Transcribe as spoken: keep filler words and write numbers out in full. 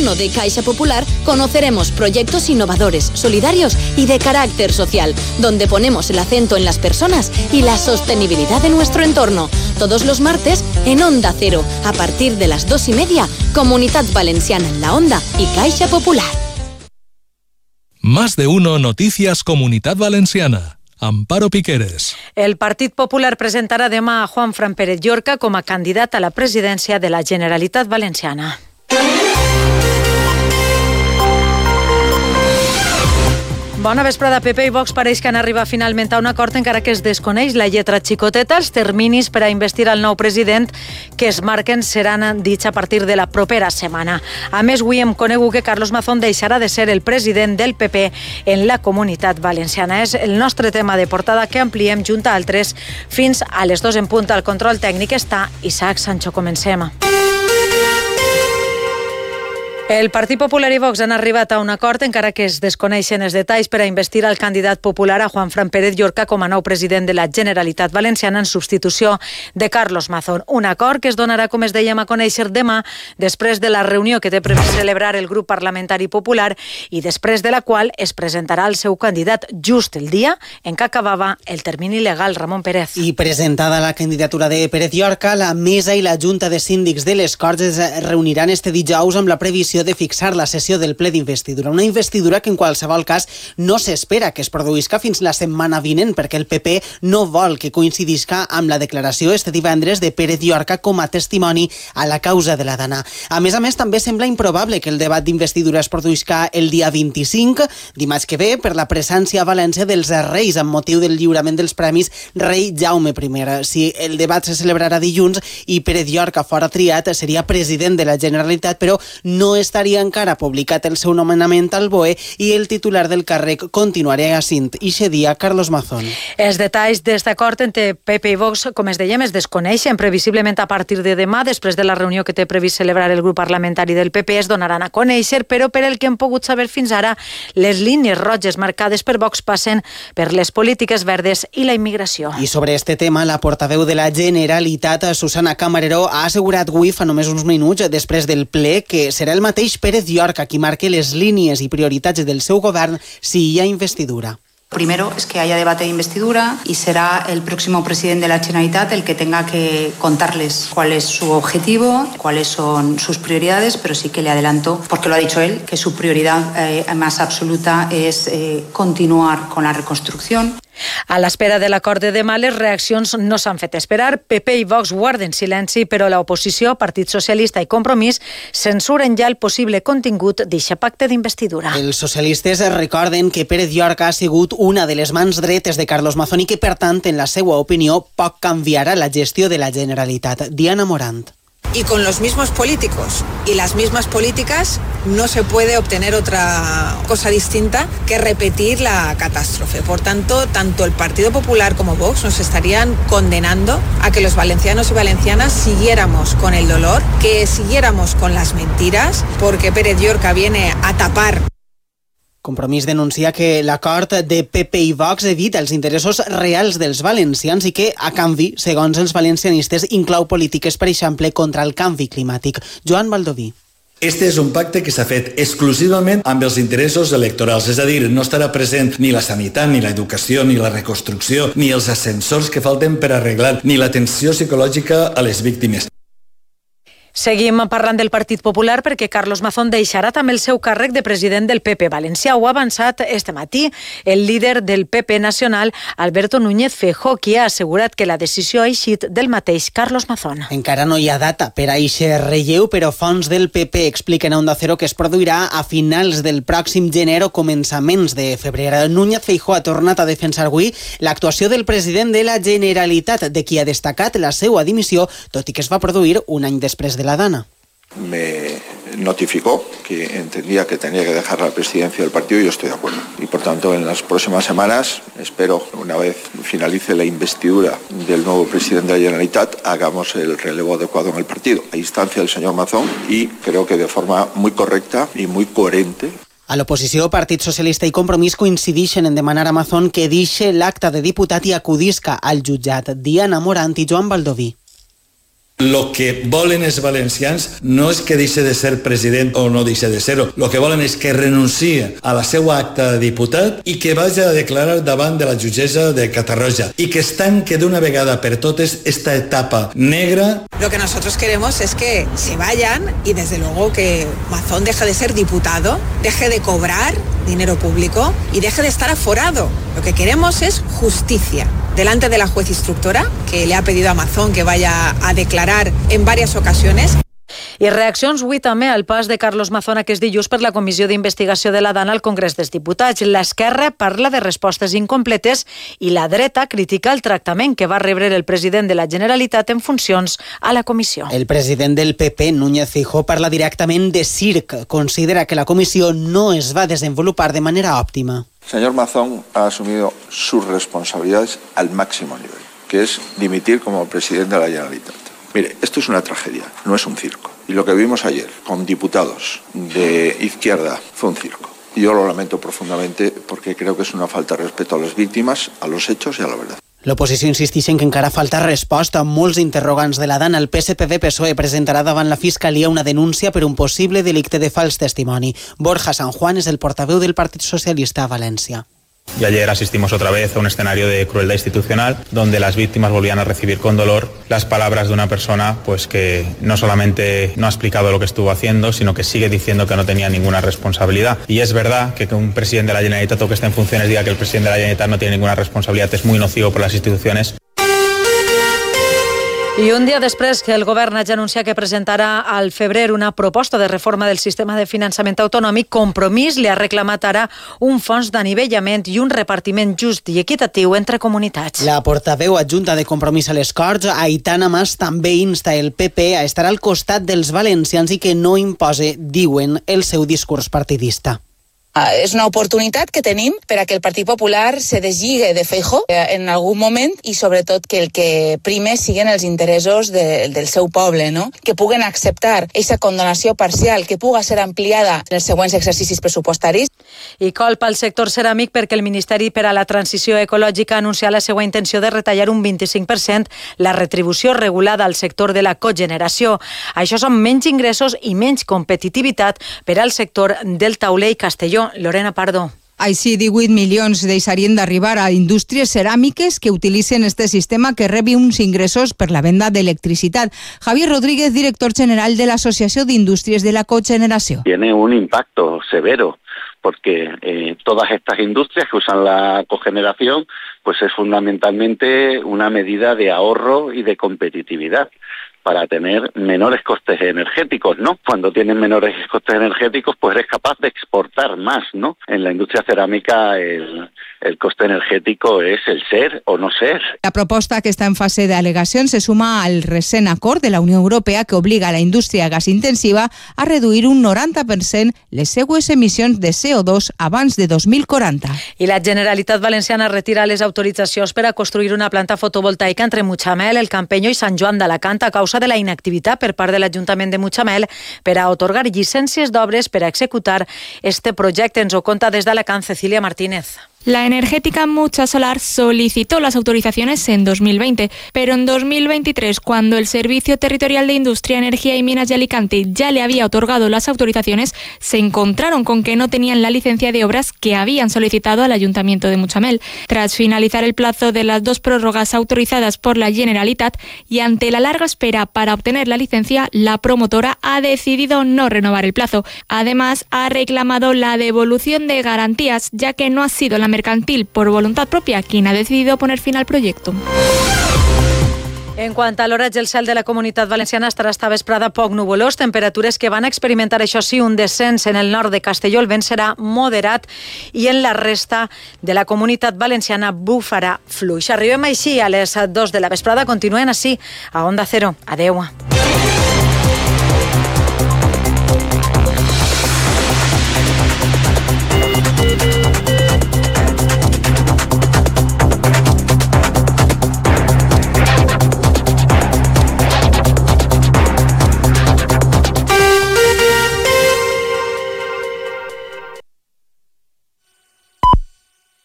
mano de Caixa Popular conoceremos proyectos innovadores, solidarios y de carácter social, donde ponemos el acento en las personas y la sostenibilidad de nuestro entorno. Todos los martes en Onda Cero, a partir de las dos y media, Comunitat Valenciana en la Onda y Caixa Popular. Más de uno Noticias Comunitat Valenciana. Amparo Piqueres. El Partit Popular presentarà demà a Juanfran Pérez Llorca com a candidat a la presidència de la Generalitat Valenciana. Bona vesprada. P P i Vox pareix que han arribat finalment a un acord, encara que es desconeix la lletra xicoteta. Els terminis per a investir el nou president que es marquen seran dits a partir de la propera setmana. A més, avui hem conegut que Carlos Mazón deixarà de ser el president del P P en la Comunitat Valenciana. És el nostre tema de portada que ampliem junt a altres fins a les dos en punt. Al control tècnic està Isaac Sancho. Comencem. El Partit Popular i Vox han arribat a un acord, encara que es desconeixen els detalls, per a investir el candidat popular a Juanfran Pérez Llorca com a nou president de la Generalitat Valenciana en substitució de Carlos Mazón. Un acord que es donarà, com es dèiem, a conèixer demà, després de la reunió que té previst celebrar el grup parlamentari popular i després de la qual es presentarà el seu candidat just el dia en què acabava el termini legal. Ramon Pérez. I presentada la candidatura de Pérez Llorca, la mesa i la Junta de Síndics de les Corts es reuniran este dijous amb la previsió de fixar la sessió del ple d'investidura. Una investidura que en qualsevol cas no s'espera que es produïsca fins la setmana vinent, perquè el P P no vol que coincidisca amb la declaració este divendres de Pérez Llorca com a testimoni a la causa de la Dana. A més a més, també sembla improbable que el debat d'investidura es produïsca el dia vint-i-cinc, dimarts que ve, per la presència a València dels Reis amb motiu del lliurament dels premis Rei Jaume primer. Si el debat se celebrarà dilluns i Pérez Llorca fora triat, seria president de la Generalitat, però no estaria encara publicat el seu nomenament al B O E i el titular del càrrec continuaria assint ixe dia Carlos Mazón. Els detalls d'aquest acord entre P P i Vox, com es dèiem, es desconeixen. Previsiblement a partir de demà, després de la reunió que té previst celebrar el grup parlamentari del P P, es donaran a conèixer, però per el que hem pogut saber fins ara, les línies roges marcades per Vox passen per les polítiques verdes i la immigració. I sobre este tema, la portaveu de la Generalitat, Susana Camarero, ha assegurat avui, fa només uns minuts, després del ple, que serà el mateix Pérez Llorca qui marque les línies i prioritats del seu govern si hi ha investidura. Primero es que haya debate de investidura y será el próximo presidente de la Generalitat el que tenga que contarles cuál es su objetivo, cuáles son sus prioridades, pero sí que le adelanto, porque lo ha dicho él, que su prioridad eh, más absoluta es eh, continuar con la reconstrucción. A l'espera de l'acord de demà, les reaccions no s'han fet esperar. P P i Vox guarden silenci, però l'oposició, Partit Socialista i Compromís, censuren ja el possible contingut d'aquest pacte d'investidura. Els socialistes recorden que Pérez Llorca ha sigut una de les mans dretes de Carlos Mazón i que, per tant, en la seva opinió, poc canviarà la gestió de la Generalitat. Diana Morant. Y con los mismos políticos y las mismas políticas no se puede obtener otra cosa distinta que repetir la catástrofe. Por tanto, tanto el Partido Popular como Vox nos estarían condenando a que los valencianos y valencianas siguiéramos con el dolor, que siguiéramos con las mentiras, porque Pérez Llorca viene a tapar. Compromís denuncia que l'acord de P P i Vox evita els interessos reals dels valencians i que, a canvi, segons els valencianistes, inclou polítiques, per exemple, contra el canvi climàtic. Joan Baldoví. Este és un pacte que s'ha fet exclusivament amb els interessos electorals, és a dir, no estarà present ni la sanitat, ni l'educació, ni la reconstrucció, ni els ascensors que falten per arreglar, ni l'atenció psicològica a les víctimes. Seguim parlant del Partit Popular perquè Carlos Mazón deixarà també el seu càrrec de president del P P Valencià. Ho ha avançat este matí el líder del P P nacional, Alberto Núñez Feijóo, qui ha assegurat que la decisió ha eixit del mateix Carlos Mazón. Encara no hi ha data per a eixe relleu, però fonts del P P expliquen a Onda Cero que es produirà a finals del pròxim gener o començaments de febrer. Núñez Feijóo ha tornat a defensar avui l'actuació del president de la Generalitat, de qui ha destacat la seva dimissió, tot i que es va produir un any després de la Dana. Me notificó que entendía que tenía que dejar la presidencia del partido y yo estoy de acuerdo. Y por tanto, en las próximas semanas, espero, una vez finalice la investidura del nuevo presidente de la Generalitat, hagamos el relevo adecuado en el partido, a instancia del señor Mazón, y creo que de forma muy correcta y muy coherente. A l'oposició, Partit Socialista i Compromís coincideixen en demanar a Mazón que deixi l'acta de diputat i acudisca al jutjat. Diana Morant i Joan Baldoví. Lo que volen els valencians no és que deixi de ser president o no deixi de ser-ho. Lo que volen és que renuncie a la seva acta de diputat i que vagi a declarar davant de la jutgessa de Catarroja i que es tanque d'una vegada per totes esta etapa negra. Lo que nosotros queremos es que se vayan y desde luego que Mazón deje de ser diputado, deje de cobrar dinero público y deje de estar aforado. Lo que queremos es justicia delante de la juez instructora que le ha pedido a Mazón que vaya a declarar en varias ocasiones. I reaccions avui també al pas de Carlos Mazón aquest dilluns per la Comissió d'Investigació de la DAN al Congrés dels Diputats. L'esquerra parla de respostes incompletes i la dreta critica el tractament que va rebre el president de la Generalitat en funcions a la comissió. El president del P P, Núñez Feijóo, parla directament de circ. Considera que la comissió no es va desenvolupar de manera òptima. El señor Mazón ha asumido sus responsabilidades al máximo nivel, que es dimitir como presidente de la Generalitat. Mire, esto es una tragedia, no es un circo. Y lo que vimos ayer con diputados de izquierda fue un circo. Y yo lo lamento profundamente porque creo que es una falta de respeto a las víctimas, a los hechos y a la verdad. L'oposició insisteix en que encara falta resposta a molts interrogants de la DAN. El P S P V-P S O E presentarà davant la Fiscalia una denúncia per un possible delicte de fals testimoni. Borja San Juan és el portaveu del Partit Socialista a València. Y ayer asistimos otra vez a un escenario de crueldad institucional donde las víctimas volvían a recibir con dolor las palabras de una persona pues que no solamente no ha explicado lo que estuvo haciendo, sino que sigue diciendo que no tenía ninguna responsabilidad. Y es verdad que, que un presidente de la Generalitat o que esté en funciones diga que el presidente de la Generalitat no tiene ninguna responsabilidad es muy nocivo por las instituciones. I un dia després que el govern hagi anunciat que presentarà al febrer una proposta de reforma del sistema de finançament autonòmic, Compromís li ha reclamat ara un fons d'anivellament i un repartiment just i equitatiu entre comunitats. La portaveu adjunta de Compromís a les Corts, Aitana Mas, també insta el P P a estar al costat dels valencians i que no impose, diuen, el seu discurs partidista. Ah, és una oportunitat que tenim per a que el Partit Popular se deslligue de Feijóo en algun moment i sobretot que el que prime siguin els interessos de, del seu poble, no? Que puguen acceptar aquesta condonació parcial, que puga ser ampliada en els següents exercicis pressupostaris. I colpa al sector ceràmic perquè el Ministeri per a la Transició Ecològica ha anunciat la seva intenció de retallar un vint-i-cinc per cent la retribució regulada al sector de la cogeneració. Això són menys ingressos i menys competitivitat per al sector del tauler i Castelló. Lorena Pardo. Així, divuit milions deixarien d'arribar a indústries ceràmiques que utilitzen este sistema que rebi uns ingressos per la venda d'electricitat. Javier Rodríguez, director general de l'Asociació d'Indústries de la Cogeneració. Tiene un impacto severo porque eh, todas estas industrias que usan la cogeneración pues es fundamentalmente una medida de ahorro y de competitividad para tener menores costes energéticos, ¿no? Cuando tienen menores costes energéticos, pues eres capaz de exportar más, ¿no? En la industria cerámica el, el coste energético es el ser o no ser. La proposta que està en fase d'al·legacions se suma al recent acord de la Unió Europea que obliga a la indústria gasintensiva a reduir un noranta per cent les seues emissions de C O dos abans de dos mil quaranta. I la Generalitat Valenciana retira les autoritzacions per a construir una planta fotovoltaica entre Mutxamel, el Campeño i Sant Joan d'Alacant a causa de la inactivitat per part de l'Ajuntament de Mutxamel per a atorgar llicències d'obres per a executar este projecte. Ens ho conta des d'Alacant Cecilia Martínez. La energética Mucha Solar solicitó las autorizaciones en dos mil veinte, pero en dos mil veintitrés, cuando el Servicio Territorial de Industria, Energía y Minas de Alicante ya le había otorgado las autorizaciones, se encontraron con que no tenían la licencia de obras que habían solicitado al Ayuntamiento de Mutxamel. Tras finalizar el plazo de las dos prórrogas autorizadas por la Generalitat y ante la larga espera para obtener la licencia, la promotora ha decidido no renovar el plazo. Además, ha reclamado la devolución de garantías, ya que no ha sido la mercantil por voluntad propia quien ha decidido poner fin al proyecto. En quant a l'oratge, el cel de la Comunitat Valenciana estarà esta vesprada poc nuvolós, temperatures que van experimentar, això sí, un descens en el nord de Castelló, el vent serà moderat i en la resta de la Comunitat Valenciana bufarà fluix. Arribem així a les dos de la vesprada, continuen així a Onda Cero. Adeu.